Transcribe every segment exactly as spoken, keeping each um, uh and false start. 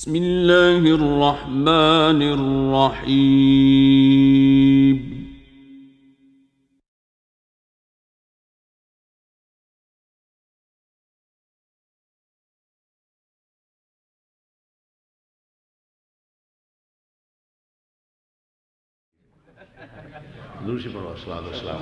بسم الله الرحمن الرحيم. دوسری پڑھو، الصلاۃ والسلام۔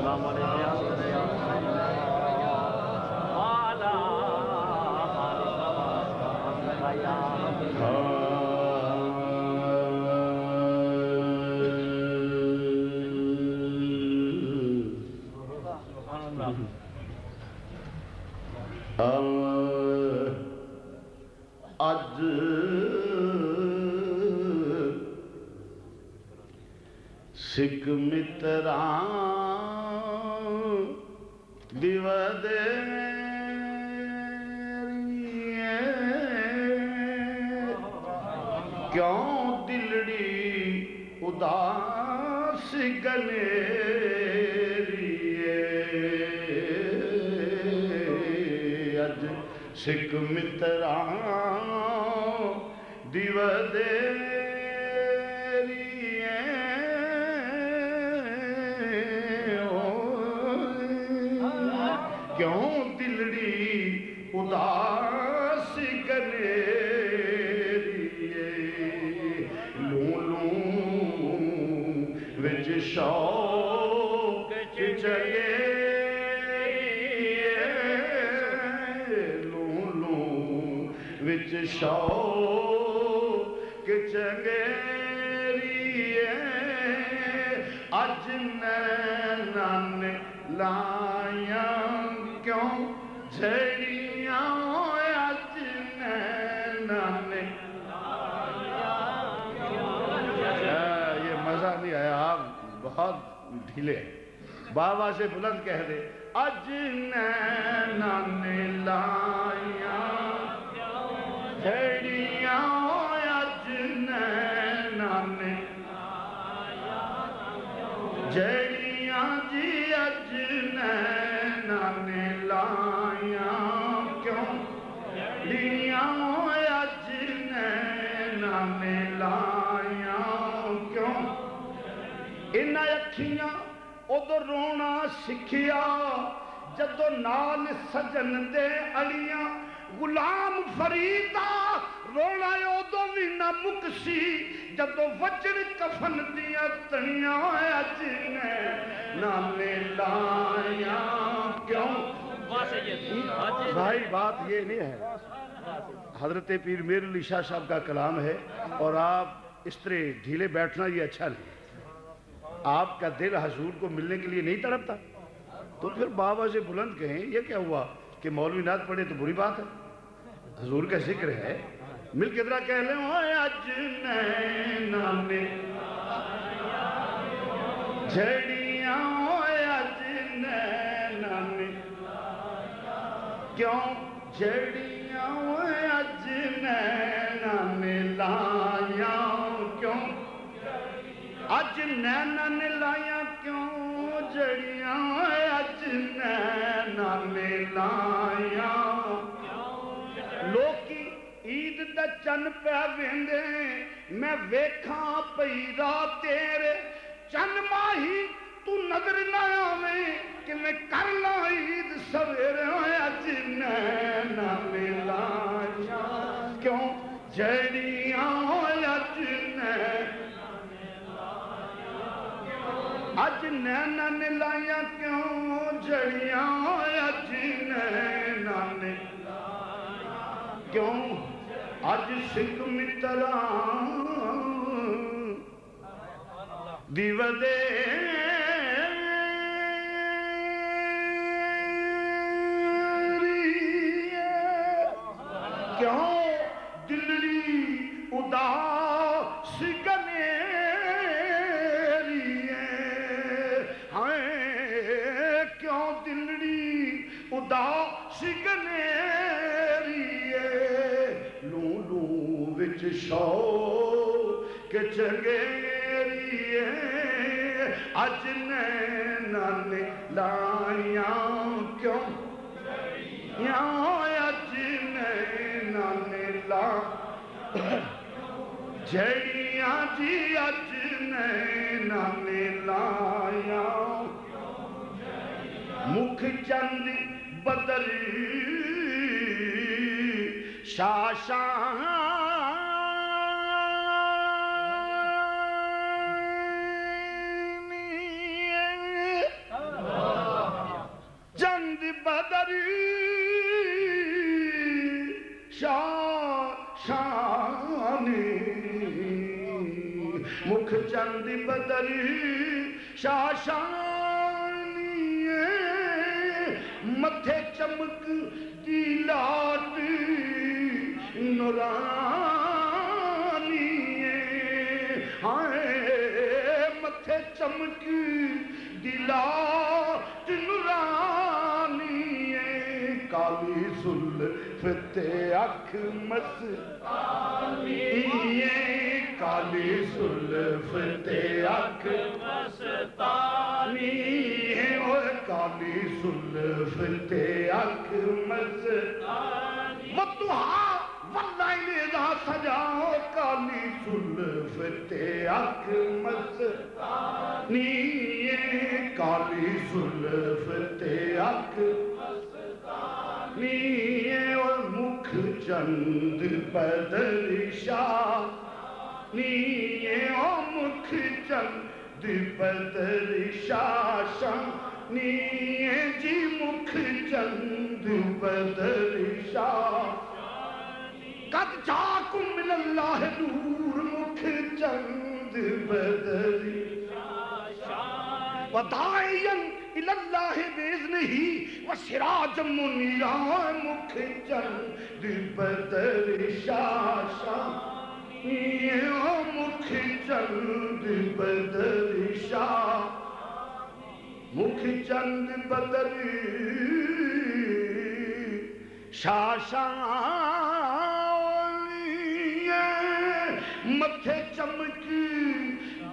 اج سکھ متراں دی ودیری اے، کیوں دلڑی اداس گنیری اے۔ اج سکھ متراں دی ودیری اے، او، کیوں دلڑی اداس گنیری اے؟ لوں لوں وچ شوق چنگیری اے، لوں لوں وچ شوق چنگیری اے، اج نیناں نے لائیاں کیوں جھڑیاں، اج نیناں نے۔ اے، یہ مزہ نہیں آیا، آپ بہت ڈھیلے ہیں۔ بابا سے بلند کہہ دے، اج نیناں نے لائیاں جھڑیاں، اج نیناں نے جھڑیاں جی، اج نیناں نے لائیاں کیوں؟ جھڑیاں اج نیناں نے لائیاں کیوں؟ انہاں اکھیاں ادو رونا سکھیا، جدو نال سجن دے اڑیاں۔ غلام فرید دا رونا ادو وی نہ مکسی، جدو وجن کفن دیاں تنیاں۔ اج نیناں نے لائیاں کیوں؟ بھائی، بات یہ نہیں ہے۔ حضرت پیر میر علی شاہ صاحب کا کلام ہے، اور آپ اس طرح ڈھیلے بیٹھنا، یہ اچھا نہیں۔ آپ کا دل حضور کو ملنے کے لیے نہیں تڑپتا؟ تو پھر بابا سے بلند کہیں، یہ کیا ہوا کہ مولوی نعت پڑھے تو بری بات ہے؟ حضور کا ذکر ہے، مل کے ذرا کہہ لیں، اوے اج نیناں نے جھڑیاں، اوے اج نیناں نے کیوں جھڑیاں، اوے اج نیناں نے لائیاں کیوں؟ اج نیناں نے لائیاں کیوں جھڑیاں؟ اج نیناں نے لائیاں۔ لوکی عید دا چن پہ ویندے، میں ویکھاں پئی رات تیرے۔ چن ماہی تو نظر نہ آویں، کہ میں کر لاں عید سویرے۔ اج نیناں نے لائیاں کیوں جھڑیاں؟ اج نیناں اج نیناں نے لائیاں کیوں جھڑیاں؟ اج نیناں نے کیوں؟ اج سکھ متراں دی ودیری اے۔ کیوں دلڑی اداس گنیری اے؟ ہائے، کیوں دلڑی اداس گنیری اے؟ لوں لوں وچ شوق چنگیری اے، اج نیناں نے لائیاں کیوں؟ یا اج نیناں نے لا جڑیاں جی اج نیناں نے لایا، مکھ چند بدر شاشانی۔ چند بدر شاشانی، مکھ چند بدر شاشانی، متھے چمک دی لاٹ نورانی۔ ہائے، متھے چمک دی لاٹ نورانی اے، کالی زلف تے اکھ مستانی اے، کالی زلف تے اکھ مستانی اے، اوئے کالی زلف تے اکھ مستانی۔ والضحیٰ واللیل اذا سجیٰ، کالی زلف تے اکھ مستانی اے، کالی زلف تے اکھ مستانی اے، اور مکھ چند بدر شاشانی اے، او مکھ چند بدر شاشانی اے جی، مکھ چند بدر شاشانی۔ قد جاءکم من اللہ نور، مکھ چند بدر وداعیا الی اللہ باذنہ وسراجا منیرا، مکھ چند بدر شاشانی اے، او مکھ چند بدر شاہ، مکھ چند بدر شاشانی اے، متھے چمک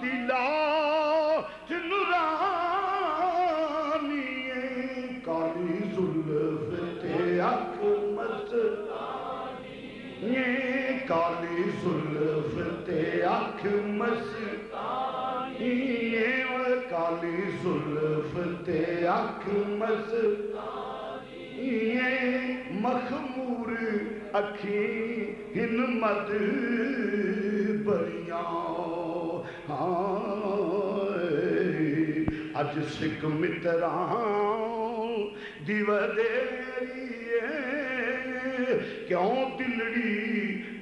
دی لاٹ نورانی اے، کالی زلف تے اکھ مستانی اے، کالی زلف تے اکھ مستانی اے، کالی زلف تے اکھ مستانی اے، مخمور اکھیں ہن مد بریاں۔ ہائے، اج سکھ متراں دی ودیری اے، کیوں دلڑی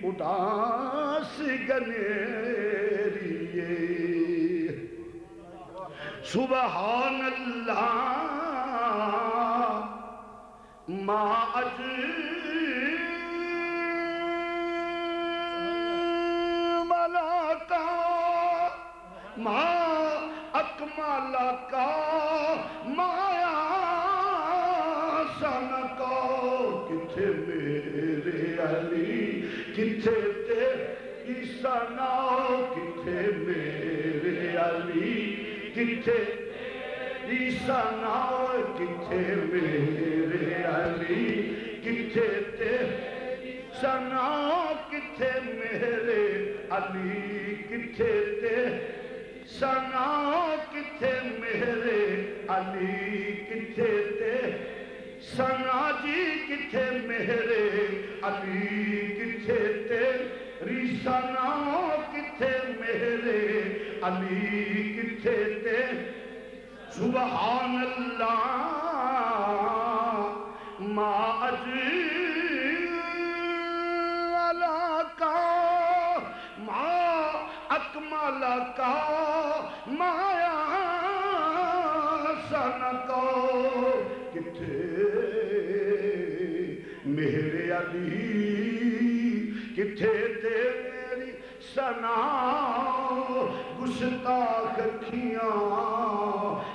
اداس گنیری اے۔ سبحان اللہ، ما اجمل کا، ما اکمل کا، ما احسن کا۔ کتھے میرے علی، کتھے تیری ثنا، کتھے میرے علی، کتھے تیری ثنا، کتھے میرے علی، کتھے تیری ثنا، کتھے میرے علی، کتھے تیری ثنا، کتھے میرے علی، کتھے تیری ثنا جی، کتھے میرے علی، کتھے تیری ثنا، کتھے میرے علی، کتھے تیری سبحان اللہ، ما اجمل کا، ما اکمل کا، ما احسن کا۔ کتھے میرے علی، کتھے تیری ثنا، گستاخ اکھیاں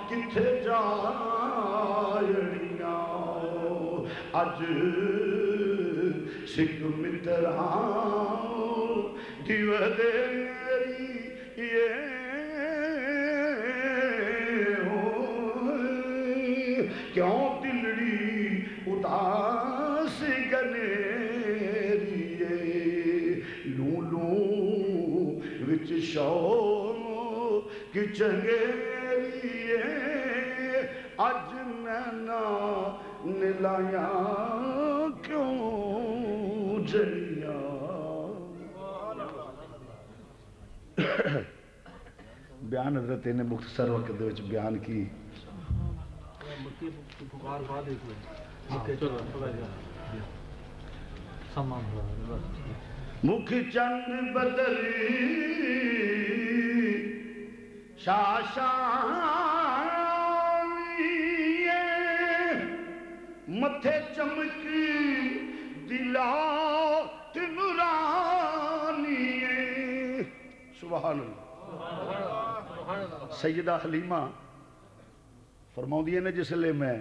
کتھے جا اڑیاں۔ اج سکھ متراں دی ودیری اے، کیوں دلڑی اداس گنیری اے۔ لوں لوں شوق چنگیری اے، اج میں نہ نلایاں کیوں جلیاں۔ بیان حضرت نے مختصر وقت دے وچ بیان کی۔ مکھ چند بدل شاشانی، متھے چمک دلا تنورانی۔ سبحان اللہ۔ سیدہ حلیمہ فرماؤندیاں نے، جس لے میں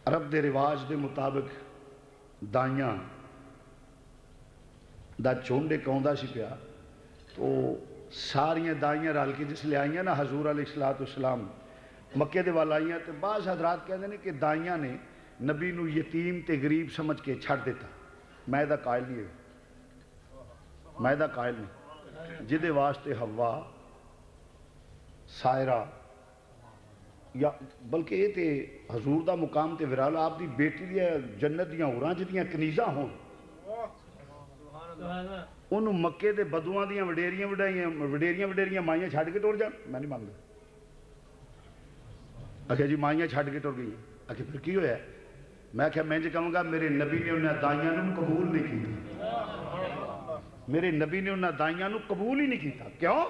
عرب دے رواج دے مطابق دائیاں دا جھنڈ اک آوندا سی پیا، تو ساریاں دائیاں رل کے جس لے آئیاں نا، حضور علیہ الصلوۃ والسلام مکے دے ول آئیاں، تے بعض حضرات کہندے نے کہ دائیاں نے نبی نو یتیم تے غریب سمجھ کے چھڈ دتا۔ میں دا قائل نہیں، میں دا قائل نہیں۔ جدے واسطے حوا، سائرہ، یا بلکہ اے تے حضور دا مقام تے ورالا، آپ دی بیٹی دی جنت دیاں حوراں جدیاں کنیزاں ہون، انہوں مکے دے بدواں دیاں وڈیریاں وڈیریاں وڈیریاں وڈیریاں مائیاں چھڈ کے ٹر جان؟ میں نہیں منگدا۔ آکھیا جی مائیاں چھڈ کے ٹر گئی۔ آکھیا پھر کی ہویا؟ میں آکھیا میں انج کہوں گا، میرے نبی نے انہاں دائیاں نوں قبول نہیں کیتا۔ میرے نبی نے انہاں دائیاں نوں قبول ہی نہیں کیتا۔ کیوں؟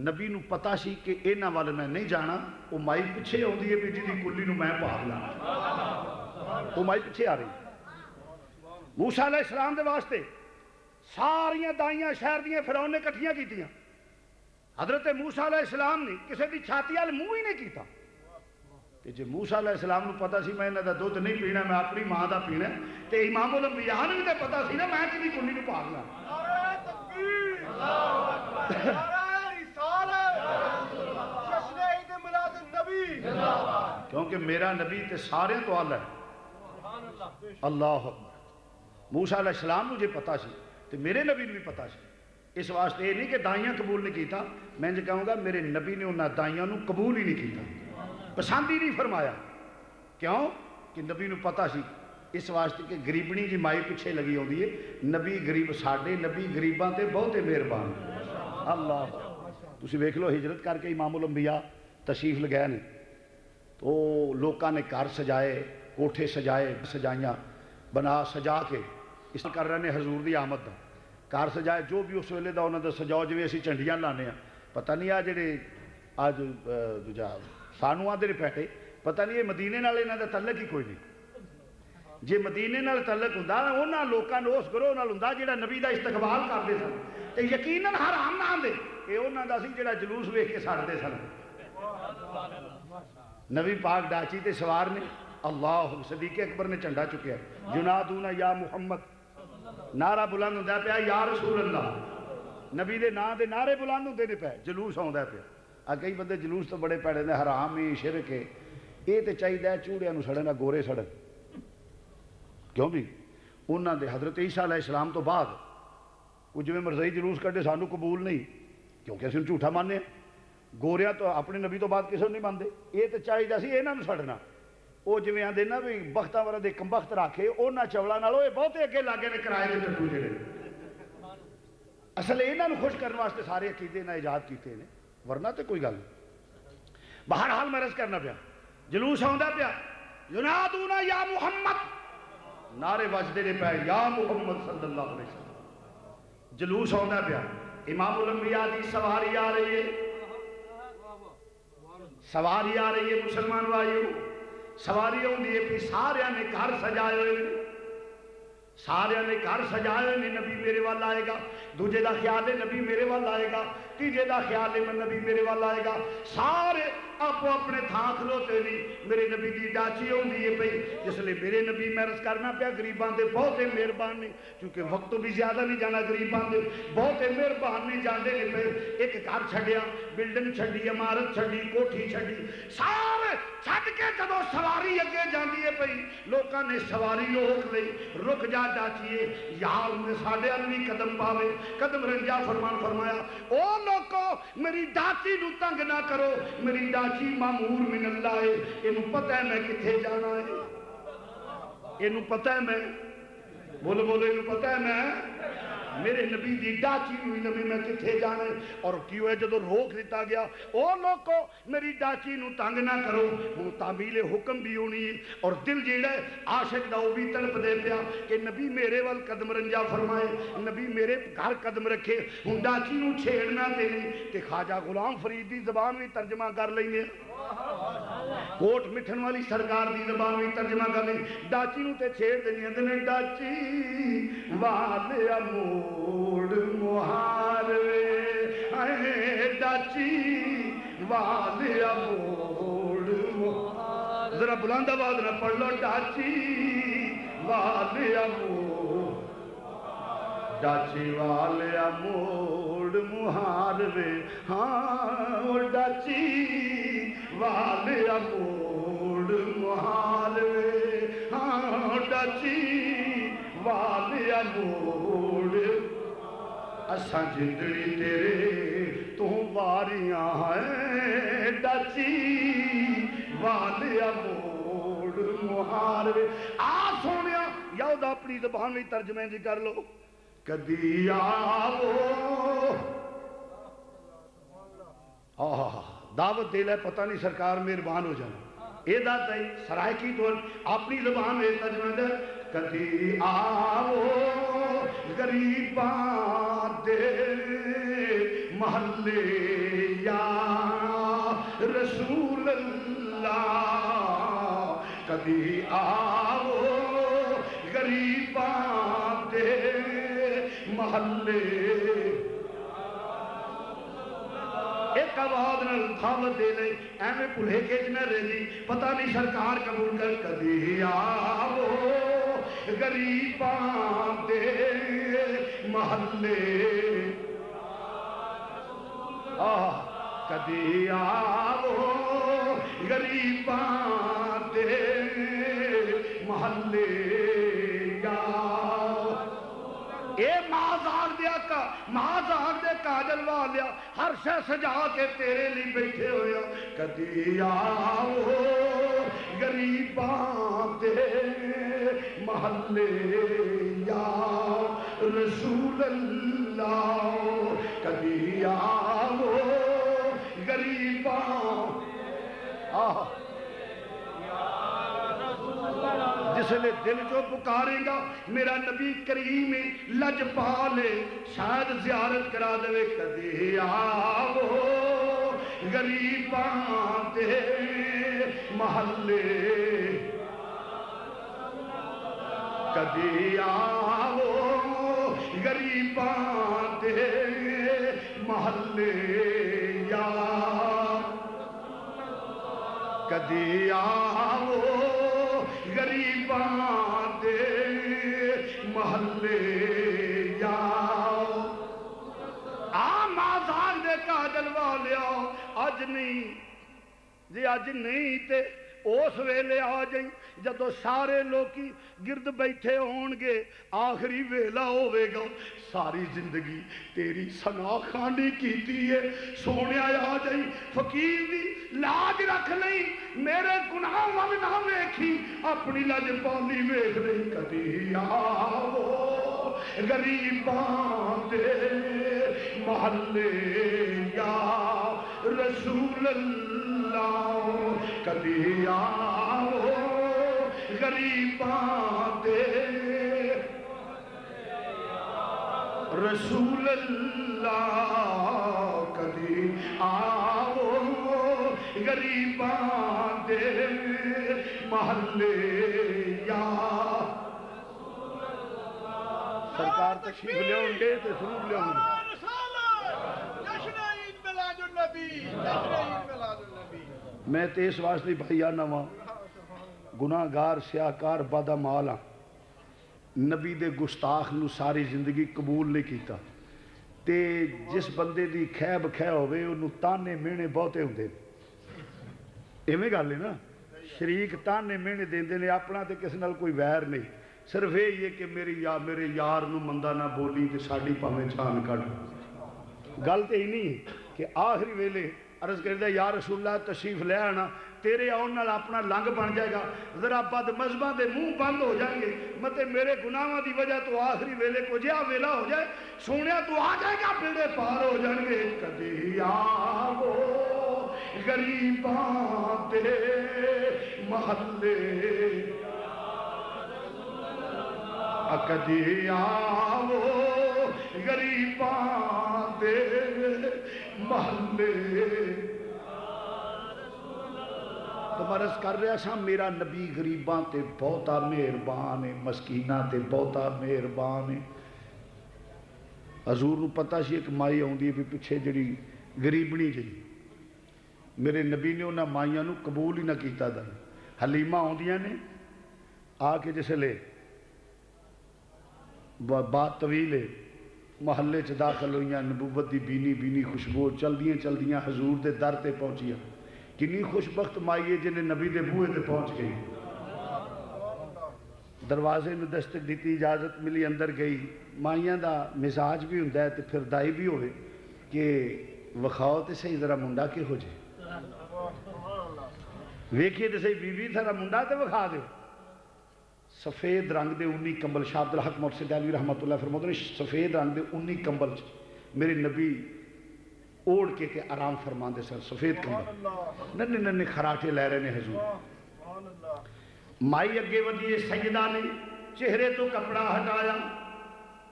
نبی نوں پتا سی کہ انہاں ول میں نہیں جانا۔ وہ مائی پچھے آندی ہے بھی جدی کلی نوں میں پاگ لانا۔ وہ مائی پچھے آ رہی۔ موسیٰ علیہ السلام دے واسطے ساریاں دائیاں شہر دیاں فرعون نے اکٹھیاں کیتیاں۔ حضرت موسیٰ علیہ السلام نے کسے دی چھاتی وال منہ ہی نہیں کیتا۔ تے جے موسیٰ علیہ السلام نوں پتا سی میں انہاں دا دودھ نہیں پینا، میں اپنی ماں دا پینا ہے، تے امام الانبیاء نوں بھی تے پتا سی نا میں کدی کنی نوں پاگ لاں۔ نعرہ تکبیر! اللہ اکبر! نعرہ رسالت! جشن عید میلاد النبی! کیونکہ میرا نبی تے سارے تو اعلیٰ ہے۔ اللہ اکبر! موسیٰ علیہ السلام نوں جے پتا سی تے میرے نبی نوں بھی پتا سی۔ اس واسطے یہ نہیں کہ دائیاں قبول نہیں کیتا، میں انج کہوں گا میرے نبی نے انہاں دائیاں نوں قبول ہی نہیں کیتا، پسند ہی نہیں فرمایا۔ کیوں؟ کہ نبی نوں پتا سی، اس واسطے کہ غریبنی جی مائی پچھے لگی ہوندی ہے۔ نبی غریب، ساڈے نبی غریباں تے بہت ہی مہربان۔ اللہ، تسی ویکھ لو، ہجرت کر کے امام الانبیاء تشریف لگائے نے، تو لوکاں نے گھر سجائے، کوٹھے سجائے، سجائیاں بنا سجا کے اس کر رہے نے حضور دی آمد دا۔ گھر سجائے، جو بھی اس ویلے دا انہاں دا سجاؤ، جویں اسی جھنڈیاں لانے آ۔ پتہ نہیں آ جڑے اج، اہ، دوجا سانو آندے نے پیٹے، پتہ نہیں یہ مدینے نال انہاں دا تعلق ہی کوئی نہیں۔ جے مدینے نال تعلق ہوندا، انہاں لوکاں نوں اس گروہ نال ہوندا جڑا نبی دا استقبال کردے سن، تے یقیناً حرام نہ آندے۔ اے انہاں دا سی جڑا جلوس ویکھ کے سڑدے سن۔ نبی پاک ڈاچی تے سوار نے، اللہ، صدیق اکبر نے جھنڈا چکیا، ینادون یا محمد، نعرہ بلند ہوندا پیا، یا رسول اللہ، نبی دے نام دے نعرے بلند ہوندے نے پے، جلوس آوندا پیا۔ آ کئی بندے جلوس تو بڑے پیڑے نے، حرام ہی، شرک ہے۔ اے تے چاہیدا ہے چوڑیاں نوں سڑن، آ گورے سڑن۔ کیوں بھی؟ انہاں دے حضرت عیسیٰ علیہ السلام تو بعد وہ جویں مرزائی جلوس کڈے، سانو قبول نہیں، کیونکہ اسی جھوٹا ماننے ہیں۔ گوریاں تو اپنے نبی تو بعد کسی نوں نہیں مانتے۔ یہ تو چاہیے سی انہاں نوں سڈنا۔ وہ جویں آندے نا بھی بختاں والا دے کمبخت رکھے، انہاں چولاں نال وہ بہتے اگے لاگے نے کرائے دے ٹٹو جڑے۔ اصل انہاں نوں خوش کرن واسطے سارے عقیدے انہاں ایجاد کیتے نے، ورنہ تے کوئی گل نہیں۔ بہرحال میں عرض کرنا پیا، جلوس آوندا پیا، ینادون یا محمد، نعرے وجدے نے پے، یا محمد صلی اللہ علیہ وسلم۔ جلوس آوندا پیا، امام الانبیاء دی سواری آ رہی ہے، سواری آ رہی ہے مسلمان بھائیو، سواری آوندی ہے پی، سارے نے گھر سجائے ہوئے نے، سارے نے گھر سجائے ہوئے نے، نبی میرے وال آئے گا، دوجے دا خیال ہے نبی میرے وال آئے گا، تیجے دا خیال ہے نبی میرے وال آئے گا، سارے آپ اپنے تھاں کھلوتے نہیں۔ میرے نبی دی ڈاچی ہوندی ہے پئی، جس لے میرے نبی، میں عرض کرنا پیا، غریباں دے بہت ہی مہربان نے، کیونکہ وقت تو بھی زیادہ نہیں جانا، غریباں دے بہت ہی مہربان نے، جاندے نے پئے۔ ایک گھر چھڈیا، بلڈنگ چھڈی، عمارت چھڈی، کوٹھی چھڈی، سارے چھڈ کے جدوں سواری اگے جاندی ہے پئی، لوکاں نے سواری روک لئی، "رک جا ڈاچیے، یار نے ساڈے ال بھی قدم پاوے۔" قدم رنجا فرمان فرمایا، "او لوکو، میری ڈاچی نو تنگ نہ کرو، میری ڈاچی مامور من اللہ ہے، اینو پتہ ہے میں کتھے جانا ہے، اینو پتہ ہے میں۔" بولو، بولو، اینو پتہ ہے میں، میرے نبی دی ڈاچی نو علم ہے میں کتھے جانا ہے۔ اور کی ہویا، جدوں روک دتا گیا، "او لوکو، میری ڈاچی نو تنگ نہ کرو۔" ہن تعمیل حکم بھی ہونی ہے، اور دل جیڑا ہے عاشق دا، او بھی تڑپ دے پیا کہ نبی میرے ول قدم رنجا فرمائے، نبی میرے گھر قدم رکھے۔ ہن ڈاچی نو چھیڑنا تے نہیں۔ تے خواجہ غلام فرید دی زبان بھی ترجمہ کر لینے، کوٹ مٹھن والی سرکار دی زبان بھی ترجمہ کر لیں۔ ڈاچی نو تے چھیڑ دینی، آندے نے، "ڈاچی والیا موڑ مہار وے، اے ڈاچی والیا موڑ مہار۔" ذرا بلند آواز نہ پڑھ لو، "ڈاچی والیا موڑ۔" ڈاچی والیا موڑ مہار وے، ہاں، او ڈاچی والیا موڑ مہار وے، ہاں، ڈاچی والیا موڑ۔ اساں جندڑی تیرے توں واریاں ہیں، ڈاچی والیا موڑ مہار وے۔ آ سونیا، یا او دا اپنی زبان وچ ترجمہ دی کر لو۔ کدی آو۔ آہا، دعوت دے لے، پتہ نہیں سرکار مہربان ہو جانا۔ اے دا تئی سرائیکی تو اپنی زبان وچ ترجمہ دے، کدی آو غریباں دے محلے یا رسول اللہ، کدی آو غریباں دے محلے۔ ایک آواز نال دعوت دے لئی، ایویں بھلے کے نہ رہ جی، پتہ نہیں سرکار قبول کر۔ کدی آو غریباں دے محلے، آہ، کدی آو غریباں دے محلے یا۔ اے ماں زاگ دے آقا، ماں زاگ دے کاجل والیا، ہر شے سجا کے تیرے لئی بیٹھے ہوئے ہاں۔ کدی آو غریباں دے محلے یا رسول اللہ، کدی آو غریباں۔ آہ۔ جس لے دل جو پکارے گا، میرا نبی کریم لجپال، شاید زیارت کرا دے۔ کدی آو غریباں دے محلے، کدی آو غریباں دے محلے یا، کدی آو غریباں دے محلے یا۔ آ مازار دے کاجل والیا، اج نہیں جی، اج نہیں تے اس ویلے آ جائیں، جدوں سارے لوکی گرد بیٹھے ہون گے، آخری ویلا ہوے گا۔ ساری زندگی تیری ثنا خوانی کیتی ہے۔ سونیا، آ جائی، فقیر دی لاج رکھ لئی، میرے گناہ ول نہ ویکھی، اپنی لج پالی ویکھ لئی۔ کدی آو غریباں دے محلے یا رسول اللہ، کدی آو غریباں دے رسول اللہ، کدی آو غریباں دے محلے یا۔ سرکار تشریف لیاؤن گے تے سرور لیاؤن گے۔ جشن عید میلاد النبی، جشن عید میلاد النبی۔ میں تے اس واسطے بھائی آنا واں، گناہگار، سیاہکار، بدعمال ہاں۔ نبی دے گستاخ نو ساری زندگی قبول نہیں کیتا۔ تے جس بندے دی خیب خے ہوے، اونوں تانے مہنے بہتے ہوندے نے۔ ایویں گل ہے نا، شریک تانے مہنے دیندے نے، اپنا تے کس نال کوئی ویر نہیں۔ صرف یہ ہے کہ میری یا میرے یار نو مندا نہ بولی تے ساڈی پاویں جان کڈ۔ گل تے اینی ہے کہ آخری ویلے عرض کردا، یا رسول اللہ، تشریف لے آنا، تیرے آن نال اپنا لنگ بن جائے گا، ذرا بد مذہباں دے منہ بند ہو جائیں گے، متے میرے گناہاں دی وجہ تو آخری ویلے کو جہا ویلا ہو جائے، سونیا تو آ جائے گا، بیڑے پار ہو جان گے۔ کدی آو غریباں دے محلے، کدی آو غریباں دے محلے۔ تو میں عرض کر رہا سا، میرا نبی غریباں تے بہتا مہربان ہے، مسکیناں تے بہتا مہربان ہے۔ حضور نو پتہ سی ایک مائی آوندی ہے بھی پچھے جڑی غریبنی جڑی، میرے نبی نے انہاں مائیاں نو قبول ہی نہ کیتا۔ دا حلیمہ آوندیاں نے، آ کے جس لے با-، بات طویل ہے، محلے چ داخل ہوئیاں، نبوت دی بینی بینی خوشبو چلدیاں چلدیاں حضور دے در تے پہنچیاں۔ کنی خوش بخت مائی ہے جنہیں نبی دے بوئے تے پہنچ گئی۔ دروازے نو دستک دتی، اجازت ملی، اندر گئی۔ مائیاں دا مزاج بھی ہوندا ہے تے پھر دائی بھی ہوئے کہ وکھاؤ تے صحیح ذرا منڈا کہو جے۔ ویکھیے تے صحیح بی بی، ذرا منڈا تے وکھا دیو۔ سفید رنگ دے اونی کمبل، شاہ عبدالحق محسن دہلوی رحمۃ اللہ فرماتے ہیں، سفید رنگ دے اونی کمبل چ میرے نبی اوڑھ کے تے آرام فرما دے سن۔ سفید کمبل، ننے ننے خراٹے لے رہے نے حضور۔ مائی اگے ودی، سیدہ نے چہرے تو کپڑا ہٹایا۔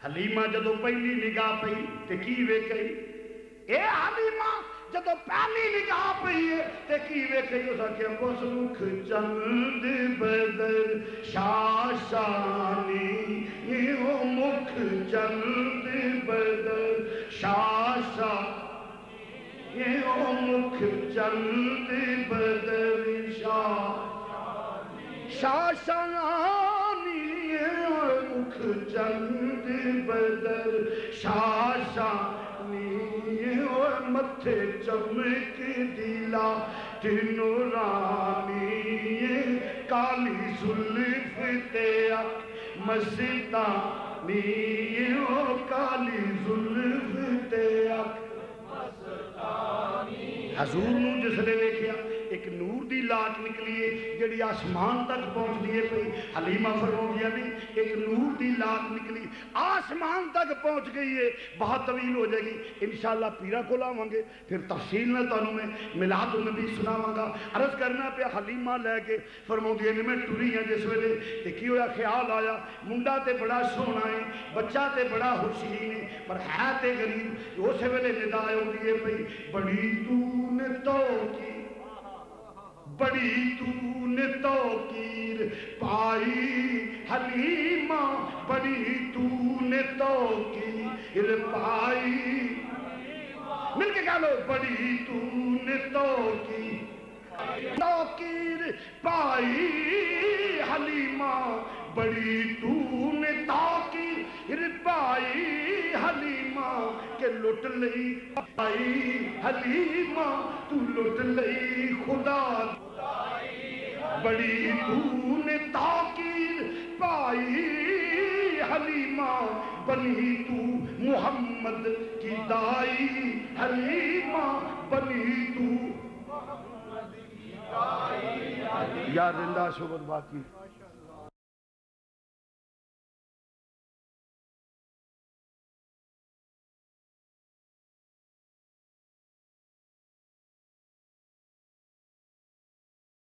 حلیمہ جدوں پہلی نگاہ پئی تے کی ویکھئی؟ اے حلیمہ جدوں پہلی نگاہ پئی ہے تے کی ویکھئی؟ اس آکھیا، بس مکھ چند بدر شاشانی، او مکھ چند بدر شاشا، او مکھ چند بدر شا شاشانی، مکھ چند بدر شاشانی، او متھے چمک دی لاٹ نورانی، کالی زلف تے اکھ مستانی، او کالی زلف تے اکھ۔ حضور نو جس نے ویکھیا، ایک نور دی لاٹ نکلی ہے جڑی آسمان تک پہنچ گئی ہے۔ پئی حلیمہ فرماؤندیاں نے، ایک نور دی لاٹ نکلی، آسمان تک پہنچ گئی ہے، بہت طویل ہو جائے گی۔ انشاءاللہ پیرا کول آواں گے، پھر تفصیل نال تانوں میں میلاد النبی سناواں گا۔ عرض کرنا پیا، حلیمہ لے کے فرماؤندی ہے، میں ٹری ہاں جس ویلے، تے کی ہویا؟ خیال آیا، منڈا تے بڑا سوہنا ہے، بچہ تے بڑا حسین ہے، پر ہے تے غریب۔ اس ویلے ندا آئی ہوندی ہے پئی، بڑی تو نے توقیر، بڑی تو نے توقیر پائی حلیمہ، بڑی تو نے توقیر پائی۔ مل کے کہہ لو، بڑی تو نے توقیر، توقیر پائی حلیمہ، بڑی تو نے توقیر پائی حلیمہ، کہ لٹ لئی پائی حلیمہ، تو لٹ لئی خدا۔ بڑی تو نے توقیر پائی حلیمہ، بنی تو محمد کی دائی حلیمہ، بنی تو۔ یار زندہ شبد باقی۔